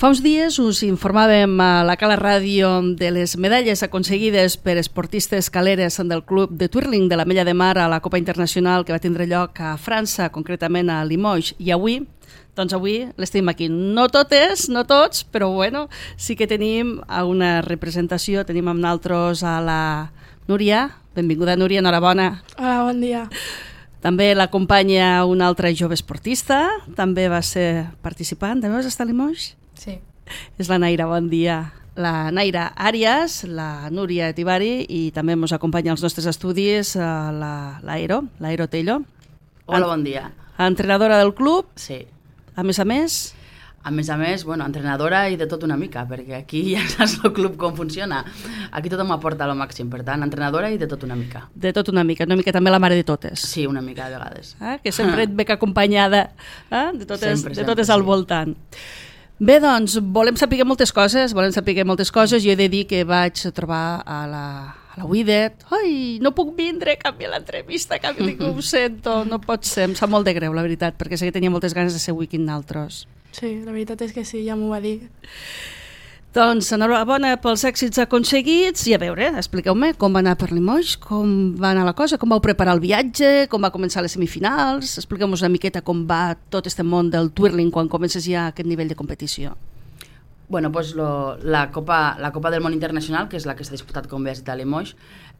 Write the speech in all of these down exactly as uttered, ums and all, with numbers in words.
Fa uns dies us informàvem a la Cala Ràdio de les medalles aconseguides per esportistes caleres del club de twirling de la Mella de Mar a la Copa Internacional que va tindre lloc a França, concretament a Limoges. I avui, doncs avui les tenim aquí. No totes, no tots, però bueno, sí que tenim una representació. Tenim amb nosaltres a la Núria. Benvinguda, Núria, enhorabona. Hola, bon dia. També l'acompanya una altra jove esportista, també va ser participant. També vas estar a Limoges? Sí. És la Naira, bon dia. La Naira Arias, la Núria Etivari i també ens acompanya als nostres estudis l'Aero, l'Aero Tello. Hola, bon dia. Entrenadora del club. Sí. A més a més... A més a més, bueno, entrenadora i de tot una mica, perquè aquí ja saps el club com funciona. Aquí tothom aporta al màxim, per tant, entrenadora i de tot una mica. De tot una mica, una mica també la mare de totes. Sí, una mica de vegades. Eh? Que sempre et ve acompanyada eh? de totes, sempre, de totes sempre, al sí. voltant. Bé, doncs, volem saber moltes coses, volem saber moltes coses. Jo he de dir que vaig trobar a la, a la Widet. Ai, no puc vindre, canvia l'entrevista, canvia, dic, ho sento, no pot ser. Em sap molt de greu, la veritat, perquè sé que tenia moltes ganes de ser avui aquí amb naltros. Sí, la veritat és que sí, ja m'ho va dir. Doncs enhorabona pels èxits aconseguits i a veure, expliqueu-me com va anar per Limoges, com va anar la cosa, com vau preparar el viatge, com va començar les semifinals, expliqueu-nos una miqueta com va tot este món del twirling quan comences ja aquest nivell de competició. Bueno, pues lo, la, Copa, la Copa del Món Internacional, que és la que s'ha disputat, com bé has dit, a Limoges,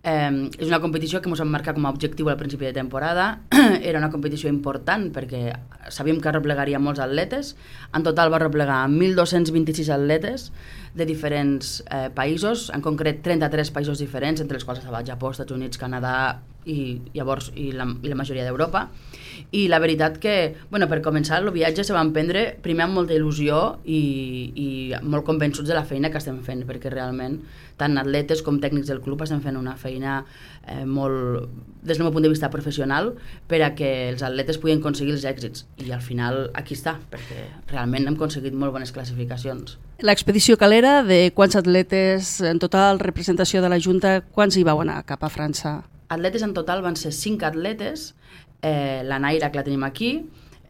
eh, és una competició que ens vam marcar com a objectiu al principi de temporada. Era una competició important perquè sabíem que replegaria molts atletes. En total va replegar mil dos-cents vint-i-sis atletes de diferents eh, països, en concret trenta-tres països diferents, entre els quals estava Japó, Estats Units, Canadà i, llavors, i, la, i la majoria d'Europa. I la veritat que, bueno, per començar, el viatge se va emprendre primer amb molta il·lusió i, i molt convençuts de la feina que estem fent, perquè realment tant atletes com tècnics del club estem fent una feina eh, molt, des del meu punt de vista professional, per a que els atletes puguin aconseguir els èxits. I al final aquí està, perquè realment hem aconseguit molt bones classificacions. L'expedició calera, de quants atletes en total, representació de la Junta, quants hi vau anar cap a França? Atletes en total van ser cinc atletes, eh, la Naira, que la tenim aquí,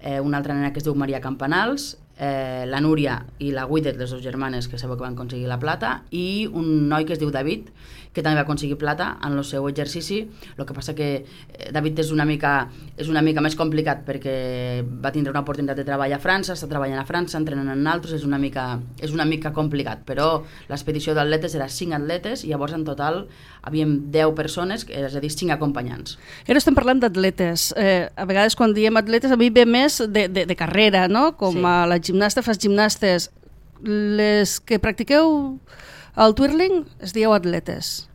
eh, una altra nena que es diu Maria Campanals, eh, la Núria i la Widet, les dues germanes que sabeu que van aconseguir la plata, i un noi que es diu David, que també va aconseguir plata en el seu exercici. El que passa que eh, David és una mica és una mica més complicat perquè va tindre una oportunitat de treball a França, està treballant a França, entrenant en altres, és una mica, és una mica complicat, però l'expedició d'atletes era cinc atletes i llavors en total havíem deu persones, és a dir, cinc acompanyants. Ara estem parlant d'atletes. Eh, a vegades quan diem atletes a mi ve més de, de, de carrera, no? Com Sí. a la gimnasta fas gimnastes. Les que practiqueu el twirling es dieu atletes.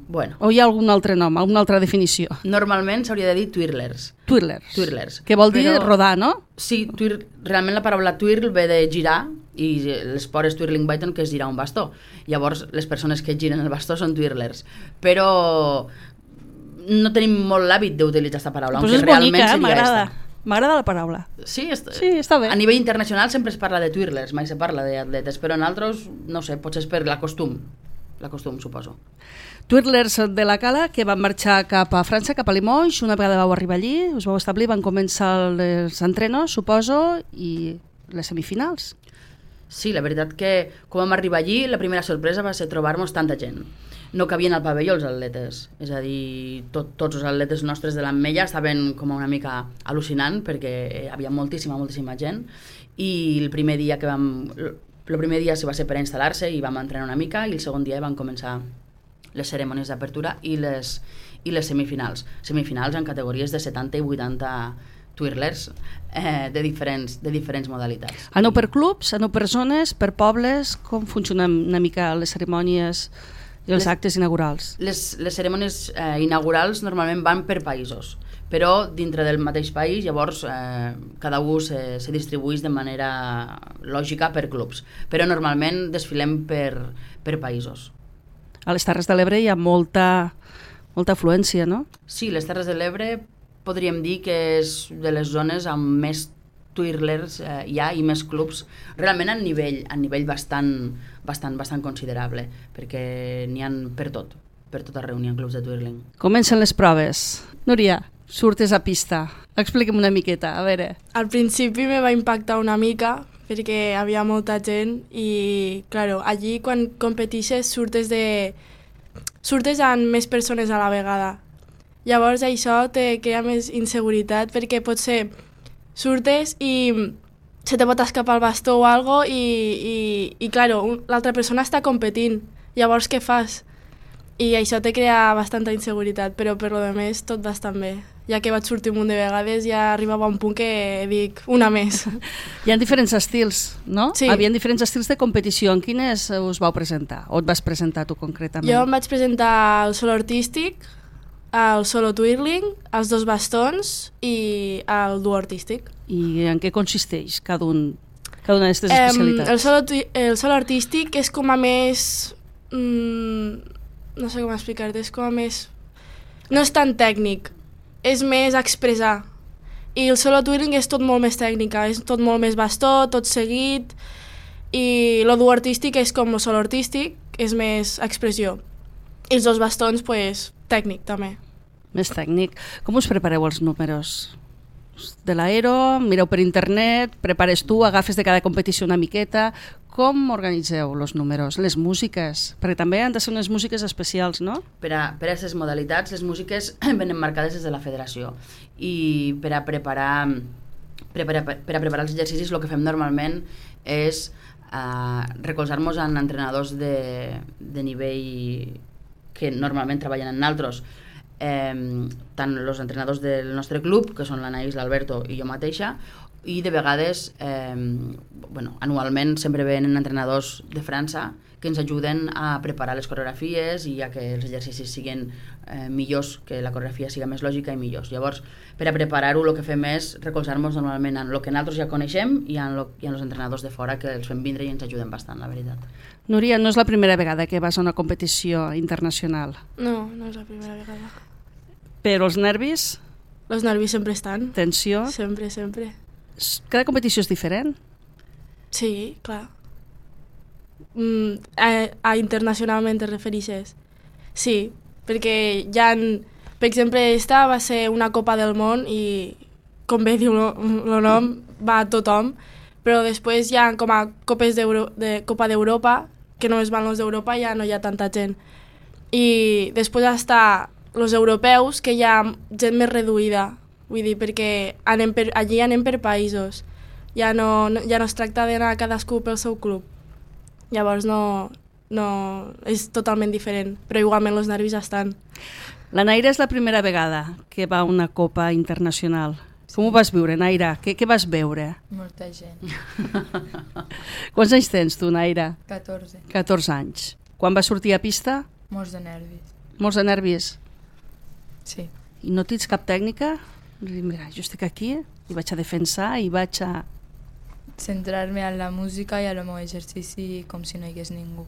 Bueno, O hi ha algun altre nom, alguna altra definició? normalment s'hauria de dir twirlers. Twirlers. Twirlers. Que vol dir Però- rodar, no? Sí, twir, realment la paraula twirl ve de girar i l'esport és twirling biton, que és girar un bastó. Llavors les persones que giren el bastó són twirlers. Però no tenim molt l'hàbit d'utilitzar aquesta paraula. Pues aunque és bonica, realment eh? seria M'agrada. esta. M'agrada la paraula. Sí, est Sí, està bé. A nivell internacional sempre es parla de twirlers, mai se parla d'atletes, però en altres, no sé, potser és per l'acostum. L'acostum, suposo. Twirlers de la Cala que van marxar cap a França, cap a Limoges. Una vegada vau arribar allí, us vau establir, van començar els entrenos, suposo, i les semifinals. Sí, la veritat que quan vam arribar allí, la primera sorpresa va ser trobar-nos tanta gent. No cabien al pavelló els atletes, és a dir, tot, tots els atletes nostres de l'Ametlla estaven com una mica al·lucinant perquè hi havia moltíssima, moltíssima gent i el primer dia que vam... El primer dia se va ser per instal·lar-se i vam entrenar una mica i el segon dia van començar les cerimònies d'apertura i les, i les semifinals. Semifinals en categories de setanta i vuitanta twirlers eh, de, diferents, de diferents modalitats. Aneu per clubs, aneu per zones, per pobles? Com funcionen una mica les cerimònies i els Les- actes inaugurals? Les, les cerimònies eh, inaugurals normalment van per països, però dintre del mateix país llavors eh, cada un se, se distribueix de manera lògica per clubs, però normalment desfilem per, per països. A les Terres de l'Ebre hi ha molta, molta afluència, no? Sí, les Terres de l'Ebre podríem dir que és de les zones amb més twirlers eh, hi ha i més clubs, realment a nivell, a nivell bastant, bastant, bastant considerable, perquè n'hi ha per tot, per tot arreu n'hi ha clubs de twirling. Comencen les proves. Núria, surtes a pista. Expliquem una miqueta, a veure. Al principi me va impactar una mica perquè havia molta gent i, claro, allí quan competixes surtes de... surtes amb més persones a la vegada. Llavors això te crea més inseguretat perquè potser surtes i se te pot escapar el bastó o algo i, i, i claro, l'altra persona està competint. Llavors què fas? I això te crea bastanta inseguretat, però per lo de més tot bastant bé. Ja que vaig sortir un munt de vegades ja arribava a un punt que dic una més. Hi ha diferents estils, no? Sí. Havien diferents estils de competició. En quines us vau presentar? O et vas presentar tu concretament? Jo em vaig presentar el solo artístic, el solo twirling, els dos bastons i el duo artístic. I en què consisteix cada, un, cada una d'aquestes Eh, especialitats? el, solo, twi- el solo artístic és com a més... Mm, no sé com explicar-te, és com a més... No és tan tècnic, és més expressar. I el solo twirling és tot molt més tècnica, és tot molt més bastó, tot seguit, i el duo artístic és com el solo artístic, és més expressió. I els dos bastons, pues, tècnic també. Més tècnic. Com us prepareu els números? De l'aero, mireu per internet, prepares tu, agafes de cada competició una miqueta. Com organitzeu els números? Les músiques? Perquè també han de ser unes músiques especials, no? Per a, per a aquestes modalitats, les músiques venen marcades des de la federació i per a preparar, per a, per a, per a preparar els exercicis el que fem normalment és uh, recolzar-nos en entrenadors de, de nivell que normalment treballen en altres. Eh, tant els entrenadors del nostre club, que són l'Anaïs, l'Alberto i jo mateixa, i de vegades, eh, bueno, anualment sempre venen entrenadors de França que ens ajuden a preparar les coreografies i a que els exercicis siguin eh, millors, que la coreografia siga més lògica i millors. Llavors, per a preparar-ho, el que fem és recolzar-nos normalment en el que nosaltres ja coneixem i en, lo, i en els entrenadors de fora que els fem vindre i ens ajuden bastant, la veritat. Núria, no és la primera vegada que vas a una competició internacional. No, no és la primera vegada. Però els nervis, Els nervis sempre estan. tensió... Sempre, sempre. Cada competició és diferent? Sí, clar. Mm, a, a internacionalment te referixes? Sí, perquè hi ha... Per exemple, esta va ser una Copa del Món i, com bé diu el nom, va a tothom, però després hi ha com a copes de Copa d'Europa, que només van els d'Europa, ja no hi ha tanta gent. I després està els europeus, que hi ha gent més reduïda, vull dir, perquè anem per, allí anem per països, ja no, no, ja no es tracta d'anar cadascú pel seu club, llavors no, no, és totalment diferent, però igualment els nervis estan. La Naira és la primera vegada que va a una Copa internacional. Sí. Com ho vas viure, Naira? Què, què vas veure? Molta gent. Quants anys tens tu, Naira? catorze. catorze anys. Quan vas sortir a pista? Molts de nervis. Molts de nervis. Sí. I no tens cap tècnica? Mira, jo estic aquí i vaig a defensar i vaig a... Centrar-me en la música i en el meu exercici com si no hi hagués ningú.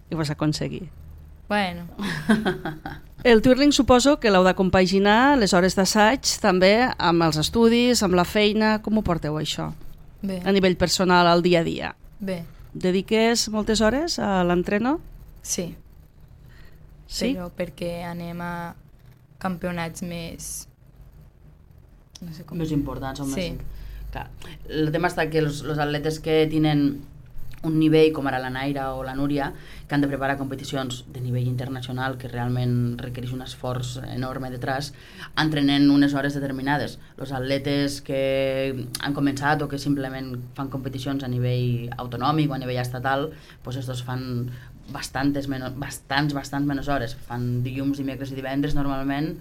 I ho vas aconseguir. Bueno. El twirling suposo que l'heu de compaginar les hores d'assaig també amb els estudis, amb la feina. Com ho porteu, això? Bé. A nivell personal, al dia a dia. Bé. Dediques moltes hores a l'entreno? Sí. Sí? Però perquè anem a campionats més... No sé com... Més importants o Sí. més... Clar, el tema està que els, els atletes que tenen un nivell com ara la Naira o la Núria, que han de preparar competicions de nivell internacional, que realment requereix un esforç enorme detrás, entrenen unes hores determinades. Els atletes que han començat o que simplement fan competicions a nivell autonòmic o a nivell estatal, doncs estos fan bastantes menys, bastants, bastants menys hores. Fan dilluns, dimecres i divendres normalment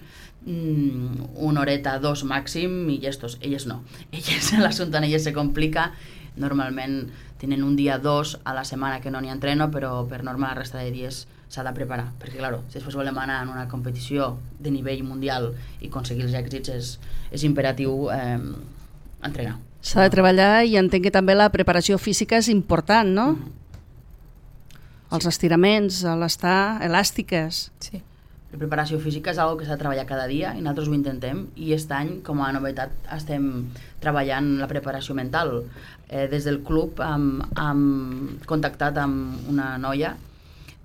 mm, una horeta, dos màxim, i estos, elles no. Elles, l'assumpte en elles se complica. Normalment tenen un dia, dos a la setmana que no n'hi entreno, però per norma la resta de dies s'ha de preparar, perquè claro, si després volem anar en una competició de nivell mundial i aconseguir els èxits és, és imperatiu eh, entrenar. S'ha de treballar i entenc que també la preparació física és important, no? Mm-hmm. Els estiraments, l'estar elàstiques. Sí. La preparació física és una que s'ha de treballar cada dia i nosaltres ho intentem, i aquest any, com a novetat, estem treballant la preparació mental. Eh, des del club hem, hem contactat amb una noia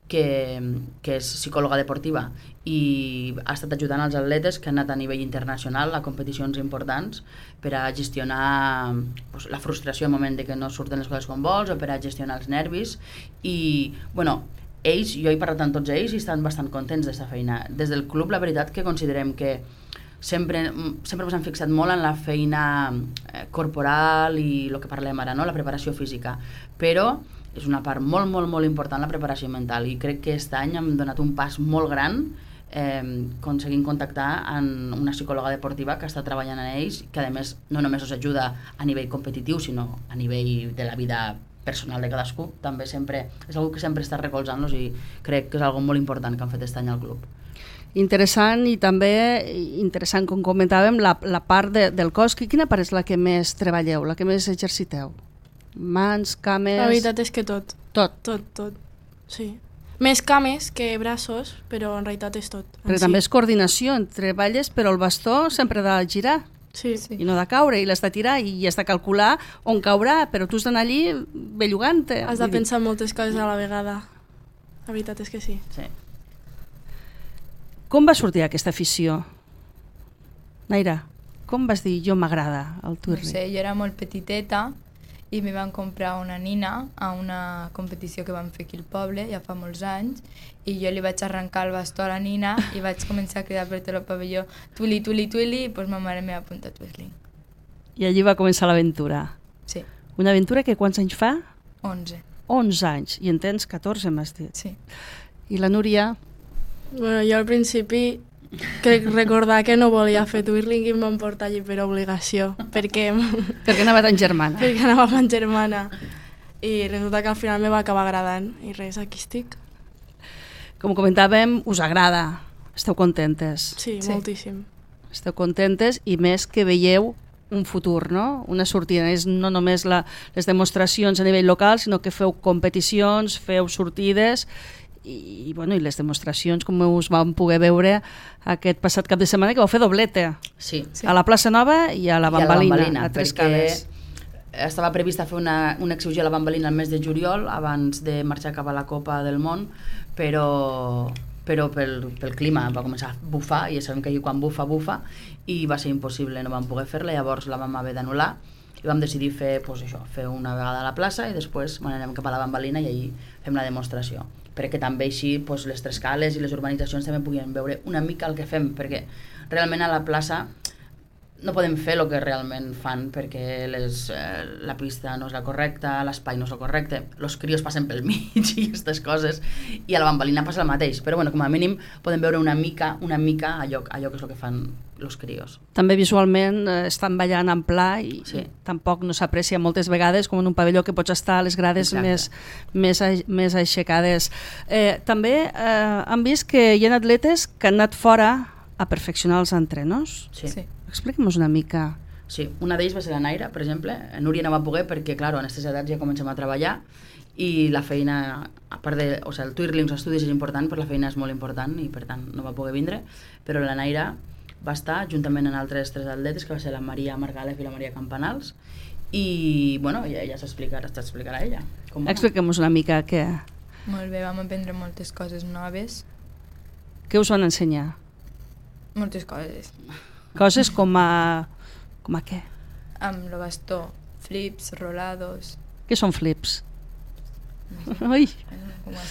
que, que és psicòloga deportiva i ha estat ajudant als atletes que han anat a nivell internacional a competicions importants per a gestionar pues, la frustració al moment de que no surten les coses com vols o per a gestionar els nervis i, bueno, ells, jo he parlat amb tots ells i estan bastant contents d'esta feina. Des del club, la veritat que considerem que sempre, sempre ens han fixat molt en la feina corporal i el que parlem ara, no? La preparació física, però és una part molt, molt, molt important la preparació mental i crec que aquest any hem donat un pas molt gran eh, aconseguint contactar amb una psicòloga deportiva que està treballant en ells, que a més no només us ajuda a nivell competitiu, sinó a nivell de la vida personal de cadascú, també sempre és algo que sempre està recolzant-los i crec que és algo molt important que han fet aquest any al club. Interessant i també interessant, com comentàvem, la, la part de, del cos. Quina part és la que més treballeu, la que més exerciteu? Mans, cames... La veritat és que tot. Tot? Tot, tot, sí. Més cames que braços, però en realitat és tot. Perquè també és coordinació, treballes, però el bastó sempre ha de girar. Sí. I no de caure, i l'has de tirar, i has de calcular on caurà, però tu has d'anar allí bellugant-te. Has de pensar moltes coses a la vegada. La veritat és que sí. Sí. Com va sortir aquesta afició? Naira, com vas dir jo m'agrada el twirling? No sé, jo era molt petiteta i me van comprar una nina a una competició que vam fer aquí al poble, ja fa molts anys, i jo li vaig arrencar el bastó a la nina i vaig començar a cridar per tot el pavelló twirly, twirly, twirly, i doncs ma mare m'ha apuntat a twirling. I allí va començar l'aventura. Sí. Una aventura que quants anys fa? onze. onze anys, i en tens catorze, m'has dit. Sí. I la Núria? Bueno, jo al principi crec recordar que no volia fer twirling i em van portar allí per obligació, perquè... perquè anava tan germana. perquè anava tan germana. I resulta que al final me va acabar agradant. I res, aquí estic. Com comentàvem, us agrada. Esteu contentes. Sí, sí, moltíssim. Esteu contentes i més que veieu un futur, no? Una sortida. És no només la, les demostracions a nivell local, sinó que feu competicions, feu sortides i, bueno, i les demostracions, com us vam poder veure aquest passat cap de setmana, que vau fer doblete. Sí. A la plaça Nova i a la Bambalina, a, la Bambalina, a Tres Cales. Estava prevista fer una, una exhibició a la Bambalina el mes de juliol, abans de marxar cap a la Copa del Món, però, però pel, pel clima va començar a bufar, i ja sabem que allí quan bufa, bufa, i va ser impossible, no vam poder fer-la, llavors la vam haver d'anul·lar, i vam decidir fer, pues això, fer una vegada a la plaça i després anem cap a la Bambalina i allí fem la demostració, perquè també així pues, les Tres Cales i les urbanitzacions també puguin veure una mica el que fem, perquè realment a la plaça no podem fer el que realment fan, perquè les, eh, la pista no és la correcta, l'espai no és el correcte, els crios passen pel mig i aquestes coses, i a la Bambalina passa el mateix, però bueno, com a mínim podem veure una mica, una mica allò, allò que és el que fan els crios. També visualment eh, estan ballant en pla i, sí. i tampoc no s'aprecia moltes vegades com en un pavelló que pots estar a les grades més, més, a, més aixecades. Eh, també eh, han vist que hi ha atletes que han anat fora a perfeccionar els entrenos. Sí. sí. Expliquem-nos una mica. Sí, una d'ells va ser la Naira, per exemple. Núria no va poder perquè, clar, en aquestes edats ja comencem a treballar i la feina, a part de... O sigui, el twirling, els estudis és important, però la feina és molt important i, per tant, no va poder vindre. Però la Naira va estar juntament amb altres tres atletes, que va ser la Maria Margalef i la Maria Campanals, i, bueno, ja, ja s'explicarà, s'explicarà ella. Expliquem-nos una mica què... Molt bé, vam aprendre moltes coses noves. Què us van ensenyar? Moltes coses. Coses com a... com a què? Amb el bastó, flips, rolados... Què són flips? Ui!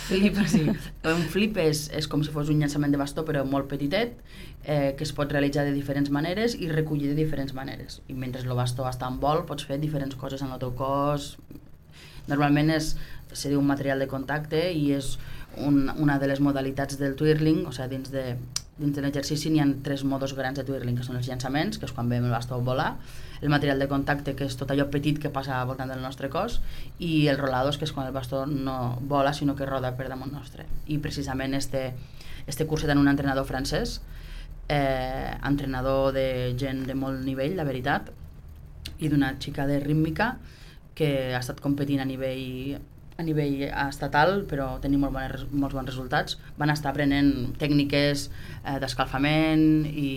Flip, sí. Un flip és, és com si fos un llançament de bastó, però molt petitet, eh, que es pot realitzar de diferents maneres i recollir de diferents maneres. I mentre el bastó està en vol, pots fer diferents coses en el teu cos. Normalment és, se diu un material de contacte i és un, una de les modalitats del twirling, o sigui, dins de... Dins de l'exercici n'hi ha tres modos grans de twirling, que són els llançaments, que és quan veiem el bastó volar, el material de contacte, que és tot allò petit que passa al voltant del nostre cos, i el rolados, que és quan el bastó no vola, sinó que roda per damunt nostre. I precisament este, este curset en un entrenador francès, eh, entrenador de gent de molt nivell, la veritat, i d'una xica de rítmica que ha estat competint a nivell a nivell estatal, però tenim molt bones, molts bons resultats. Van estar aprenent tècniques eh, d'escalfament i,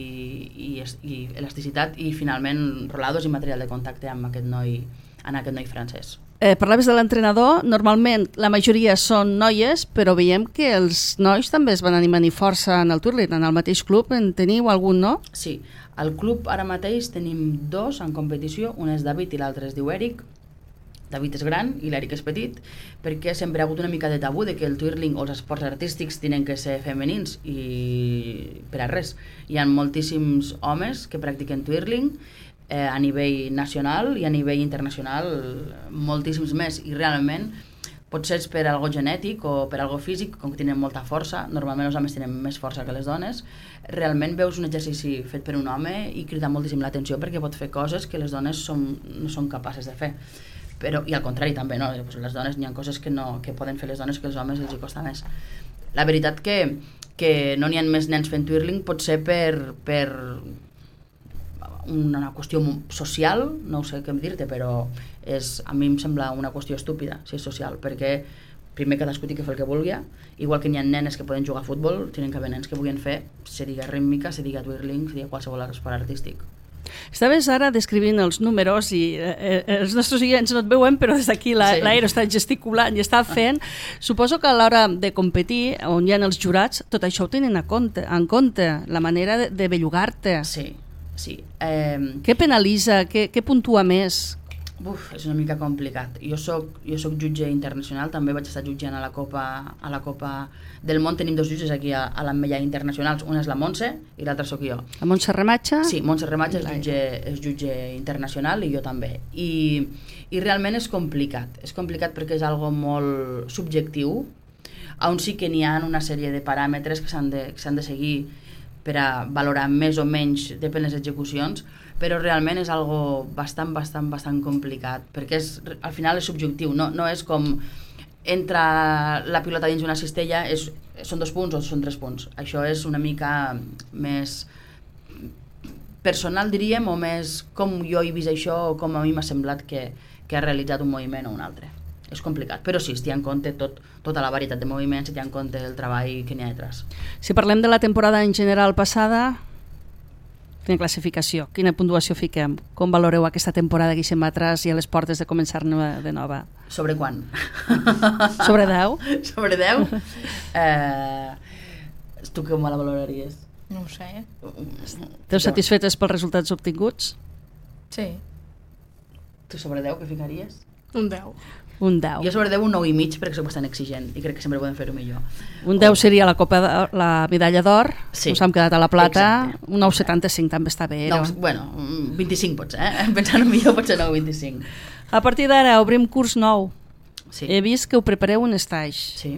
i, i elasticitat i finalment rolados i material de contacte amb aquest noi, en aquest noi francès. Eh, parlaves de l'entrenador, normalment la majoria són noies, però veiem que els nois també es van animar força en el Twirling, en el mateix club, en teniu algun, no? Sí, al club ara mateix tenim dos en competició, un és David i l'altre es diu Eric. David és gran i l'Eric és petit, perquè sempre ha hagut una mica de tabú de que el twirling o els esports artístics tenen que ser femenins, i per a res. Hi ha moltíssims homes que practiquen twirling eh, a nivell nacional i a nivell internacional moltíssims més, i realment potser és per algo genètic o per algo físic, com que tenen molta força, normalment els homes tenen més força que les dones, realment veus un exercici fet per un home i crida moltíssim l'atenció perquè pot fer coses que les dones som, no són capaces de fer. Però, i al contrari també, no? Les dones, hi ha coses que, no, que poden fer les dones que els homes els hi costa més. La veritat que, que no n'hi ha més nens fent twirling pot ser per, per una qüestió social, no sé què dir-te, però és, a mi em sembla una qüestió estúpida, si és social, perquè primer cadascú té que fer el que vulgui, igual que n'hi ha nenes que poden jugar a futbol, tenen que haver nens que vulguin fer, se diga rítmica, se diga twirling, se diga qualsevol esport artístic. Estaves ara descrivint els números i eh, els nostres oients no et veuen, però des d'aquí la, sí. l'Aero està gesticulant i està fent. Suposo que a l'hora de competir, on hi ha els jurats, tot això ho tenen a compte, en compte, la manera de, de bellugar-te. Sí, sí. Eh... Què penalitza? Què, què puntua més? Uf, és una mica complicat. Jo soc, jo soc jutge internacional, també vaig estar jutjant a la Copa, a la Copa del Món. Tenim dos jutges aquí a, a l'Ametlla internacionals, una és la Montse i l'altra sóc jo. La Montse Rematxa? Sí, Montse Rematxa és jutge, és jutge internacional i jo també. I, I realment és complicat. És complicat perquè és algo molt subjectiu, on sí que n'hi ha una sèrie de paràmetres que s'han de, que s'han de seguir per a valorar més o menys, depèn les execucions, però realment és algo bastant, bastant, bastant complicat, perquè és, al final és subjectiu, no, no és com entra la pilota dins una cistella, és, són dos punts o són tres punts. Això és una mica més personal, diríem, o més com jo he vist això o com a mi m'ha semblat que, que ha realitzat un moviment o un altre. És complicat, però sí, es té en compte tot, tota la varietat de moviments, es té en compte el treball que n'hi ha detrás. Si parlem de la temporada en general passada, quina classificació, quina puntuació fiquem? Com valoreu aquesta temporada que deixem atrás i a les portes de començar de nova? Sobre quan? Sobre deu? Sobre deu? Eh, tu com la valoraries? No ho sé. Esteu satisfetes pels resultats obtinguts? Sí. Tu sobre deu què ficaries? Un deu. Un deu. Jo sobre deu un nou i mig perquè soc bastant exigent i crec que sempre podem fer-ho millor. Un deu seria la copa de, la medalla d'or, sí. Us hem quedat a la plata. Exacte. Un nou coma setanta-cinc també està bé. No, bueno, vint-i-cinc potser, eh? Pensant millor potser nou coma vint-i-cinc. A partir d'ara obrim curs nou. Sí. He vist que ho prepareu un stage. Sí.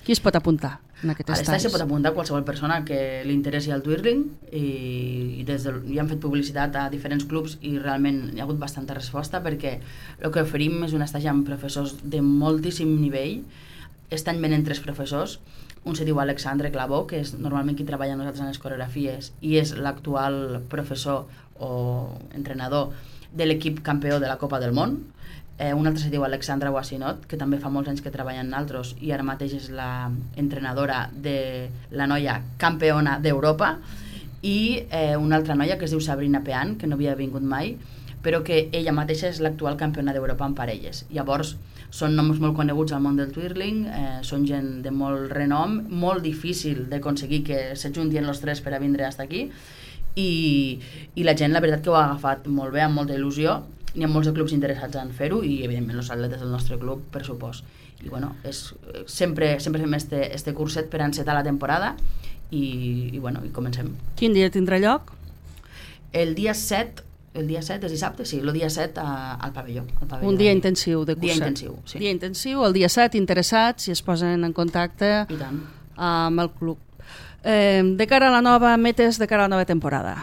Qui es pot apuntar en aquest a stage? A l'estage se pot apuntar qualsevol persona que li interessi el twirling i, i des de, ja han fet publicitat a diferents clubs i realment hi ha hagut bastanta resposta perquè el que oferim és un stage amb professors de moltíssim nivell. Aquest any venen tres professors. Un se diu Alexandre Clavó, que és normalment qui treballa amb nosaltres en les coreografies i és l'actual professor o entrenador de l'equip campió de la Copa del Món. Eh, un altre se diu Alexandra Wassinot, que també fa molts anys que treballa en altres i ara mateix és la entrenadora de la noia campiona d'Europa, i eh, una altra noia que es diu Sabrina Pean, que no havia vingut mai, però que ella mateixa és l'actual campiona d'Europa en parelles. Llavors, són noms molt coneguts al món del twirling, eh, són gent de molt renom, molt difícil d'aconseguir que s'ajuntien els tres per a vindre fins aquí, i, i la gent, la veritat, que ho ha agafat molt bé, amb molta il·lusió. N'hi ha molts de clubs interessats en fer-ho i, evidentment, els atletes del nostre club, per supost. I, bueno, és, sempre, sempre fem este, este curset per encetar la temporada i, i, bueno, i comencem. Quin dia tindrà lloc? El dia set, el dia set és dissabte, sí, el dia set a, al pavelló. Al pavelló Un dia de... intensiu de curset. Dia intensiu, sí. Dia intensiu, el dia set, interessats, i es posen en contacte I tant. amb el club. Eh, de cara a la nova metes, de cara a la nova temporada,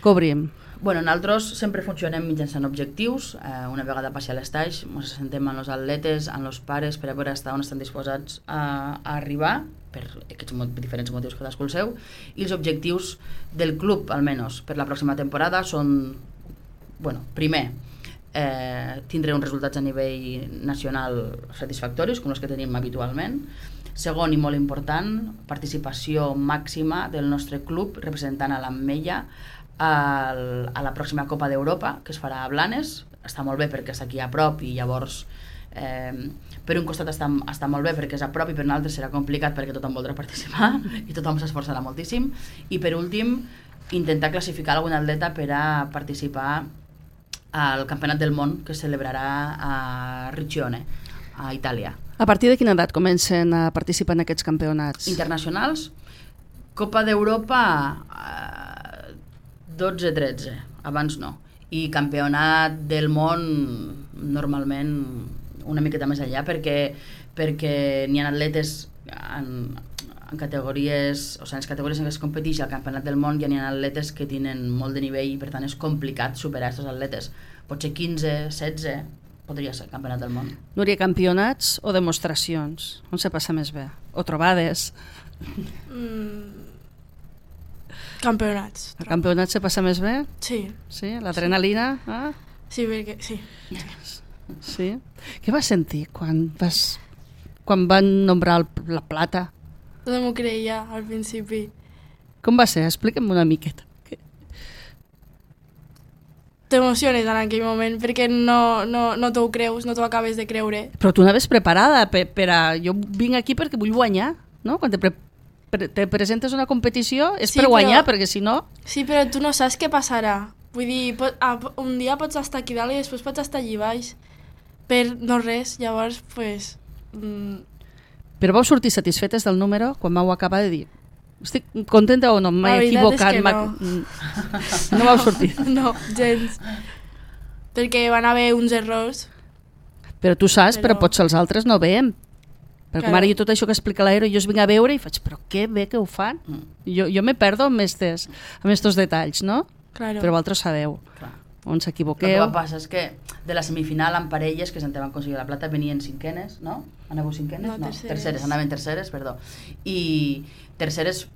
cobrim. Bueno, nosaltres sempre funcionem mitjançant objectius. Eh, una vegada passi a l'estage, ens assentem amb els atletes, amb els pares, per a veure on estan disposats a, a arribar, per aquests mot diferents motius cadascú el seu, i els objectius del club, almenys, per la pròxima temporada són, bueno, primer, eh, tindre uns resultats a nivell nacional satisfactoris, com els que tenim habitualment. Segon, i molt important, participació màxima del nostre club representant a l'Ametlla a la pròxima Copa d'Europa, que es farà a Blanes, està molt bé perquè és aquí a prop i llavors eh, per un costat està, està molt bé perquè és a prop i per un altre serà complicat perquè tothom voldrà participar i tothom s'esforçarà moltíssim, i per últim intentar classificar algun atleta per a participar al Campionat del Món que es celebrarà a Riccione, a Itàlia. A partir de quina edat comencen a participar en aquests campionats? Internacionals, Copa d'Europa eh, dotze tretze, abans no, i Campionat del Món normalment una miqueta més allà perquè, perquè n'hi ha atletes en, en categories, o sigui, en les categories en què es competeix al Campionat del Món ja n'hi ha atletes que tenen molt de nivell i per tant és complicat superar aquests atletes. Potser quinze, setze, podria ser Campionat del Món. Núria, campionats o demostracions? On se passa més bé? O trobades? Mm. Campionats. A campionats se passa més bé? Sí. Sí? L'adrenalina? Ah? Sí, perquè sí. Sí? Què vas sentir quan vas quan van nombrar el, la plata? No m'ho creia al principi. Com va ser? Explica'm una miqueta. T'emociones en aquell moment perquè no, no, no t'ho creus, no t'ho acabes de creure. Però tu anaves preparada per, per a... Jo vinc aquí perquè vull guanyar, no? Quan te, pre, pre, te presentes una competició és Sí, per guanyar, però- perquè si no... Sí, però tu no saps què passarà. Vull dir, pot, a, un dia pots estar aquí dalt i després pots estar allí baix. Per no res, llavors, pues... Mm, Però vau sortir satisfetes del número quan vau acabar de dir estic contenta o no? La M'he veritat equivocat. és que m'ha- no. No vau sortir. no, gens. Perquè van haver uns errors. Però tu saps, però, Però- potser els altres no veiem. Perquè Claro. ara jo tot això que explica l'Aero, jo es vinc a veure i faig, però què bé que ho fan? Mm. Jo, jo me perdo amb estos, amb estos detalls, no? Claro. Però vosaltres sabeu Clar. on El que s'equivoqueu. va passar és que de la semifinal en parelles que se'n van aconseguir la plata venien cinquenes, no? Anàveu cinquenes? No, terceres. terceres, anaven terceres, perdó. I terceres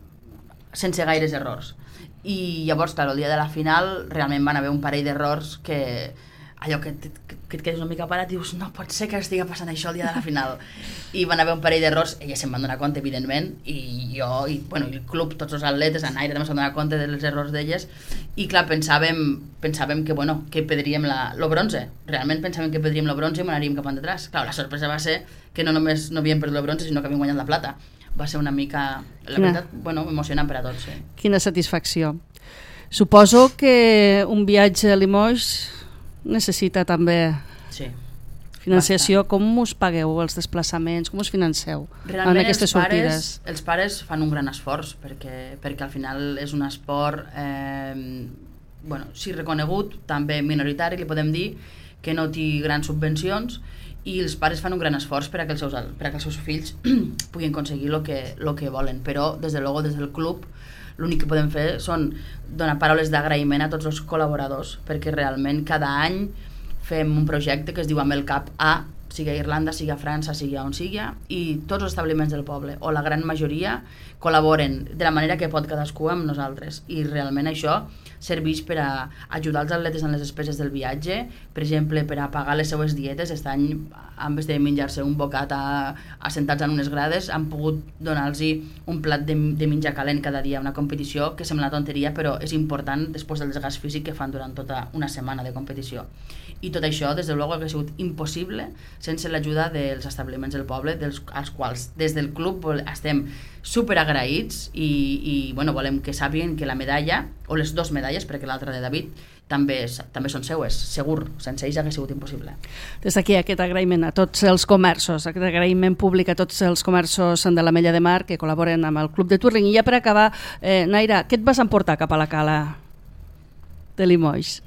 sense gaires errors. I llavors, clar, el dia de la final realment van haver un parell d'errors que allò que, que, que et quedes una mica parat i dius no pot ser que estigui passant això el dia de la final. I van haver un parell d'errors, elles se'n van donar compte evidentment, i jo, i, bueno, i el club, tots els atletes, en Aire també s'han donat compte dels errors d'elles, i clar, pensàvem, pensàvem que, bueno, que perdríem la, lo bronze, realment pensàvem que perdríem lo bronze i m'anaríem cap endarrere. Clar, la sorpresa va ser que no només no havíem perdut el bronze, sinó que havíem guanyat la plata. Va ser una mica, la Quina- veritat, bueno, emocionant per a tots, sí. Quina satisfacció. Suposo que un viatge a Limoges necessita també Sí. financiació. Com us pagueu els desplaçaments? Com us financeu en Realment aquestes els pares, sortides? els pares fan un gran esforç perquè, perquè al final és un esport eh, bueno, sí reconegut, també minoritari, li podem dir, que no té grans subvencions, i els pares fan un gran esforç per a que els seus, per a que els seus fills puguin aconseguir el que, lo que volen, però des de luego des del club l'únic que podem fer són donar paraules d'agraïment a tots els col·laboradors, perquè realment cada any fem un projecte que es diu Amb el cap a, sigui a Irlanda, sigui a França, sigui a on sigui, i tots els establiments del poble, o la gran majoria, col·laboren de la manera que pot cadascú amb nosaltres, i realment això serveix per a ajudar els atletes en les despeses del viatge, per exemple, per a pagar les seues dietes. Aquest any, en vez de menjar-se un bocat a, assentats en unes grades, han pogut donar-los un plat de, de menjar calent cada dia, una competició que sembla tonteria, però és important després del desgast físic que fan durant tota una setmana de competició. I tot això, des de luego, ha sigut impossible sense l'ajuda dels establiments del poble, dels, als quals des del club estem super agraïts i, i bueno, volem que sàpiguen que la medalla, o les dues medalles, perquè l'altra de David, també, també són seues, segur, sense ells hauria sigut impossible. Des d'aquí aquest agraïment a tots els comerços, aquest agraïment públic a tots els comerços de l'Ametlla de Mar que col·laboren amb el Club de Twirling. I ja per acabar, eh, Naira, què et vas emportar cap a la cala de Limoges?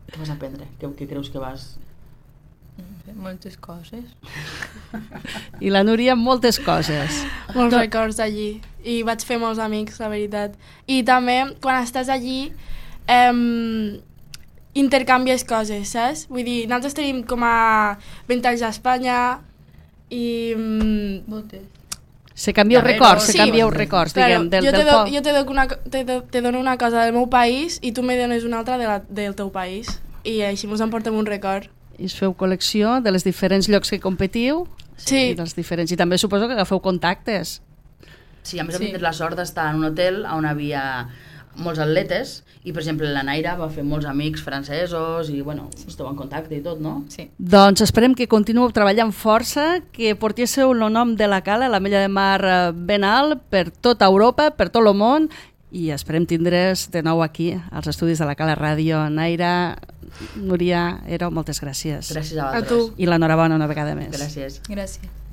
Què vas aprendre? Què, què creus que vas... Moltes coses. I la Núria, moltes coses. Molts No. records allí. I vaig fer molts amics, la veritat. I també, quan estàs allí, eh, intercanvies coses, saps? Vull dir, nosaltres tenim com a vint anys a Espanya i... Mm, Moltes. Se canvieu Darrere, records, se sí. canvieu records, claro, diguem, del, jo te, del do, poble. jo te, dono una, te, do, te dono una cosa del meu país i tu me dones una altra de la, del teu país. I així ens emportem un record. I us feu col·lecció de les diferents llocs que competiu Sí. i dels diferents. I també suposo que agafeu contactes. Sí, a més Sí. hem tingut la sort d'estar en un hotel on havia molts atletes i, per exemple, la Naira va fer molts amics francesos i, bueno, esteu en contacte i tot, no? Sí. Doncs esperem que continueu treballant força, que portéssiu el nom de la cala, la Mella de Mar ben alt, per tota Europa, per tot el món, i esperem tindre's de nou aquí, als estudis de la Cala Ràdio. Naira, Núria, Ero, moltes gràcies. Gràcies a A vosaltres. tu. I l'enhorabona una vegada més. Gràcies. Gràcies.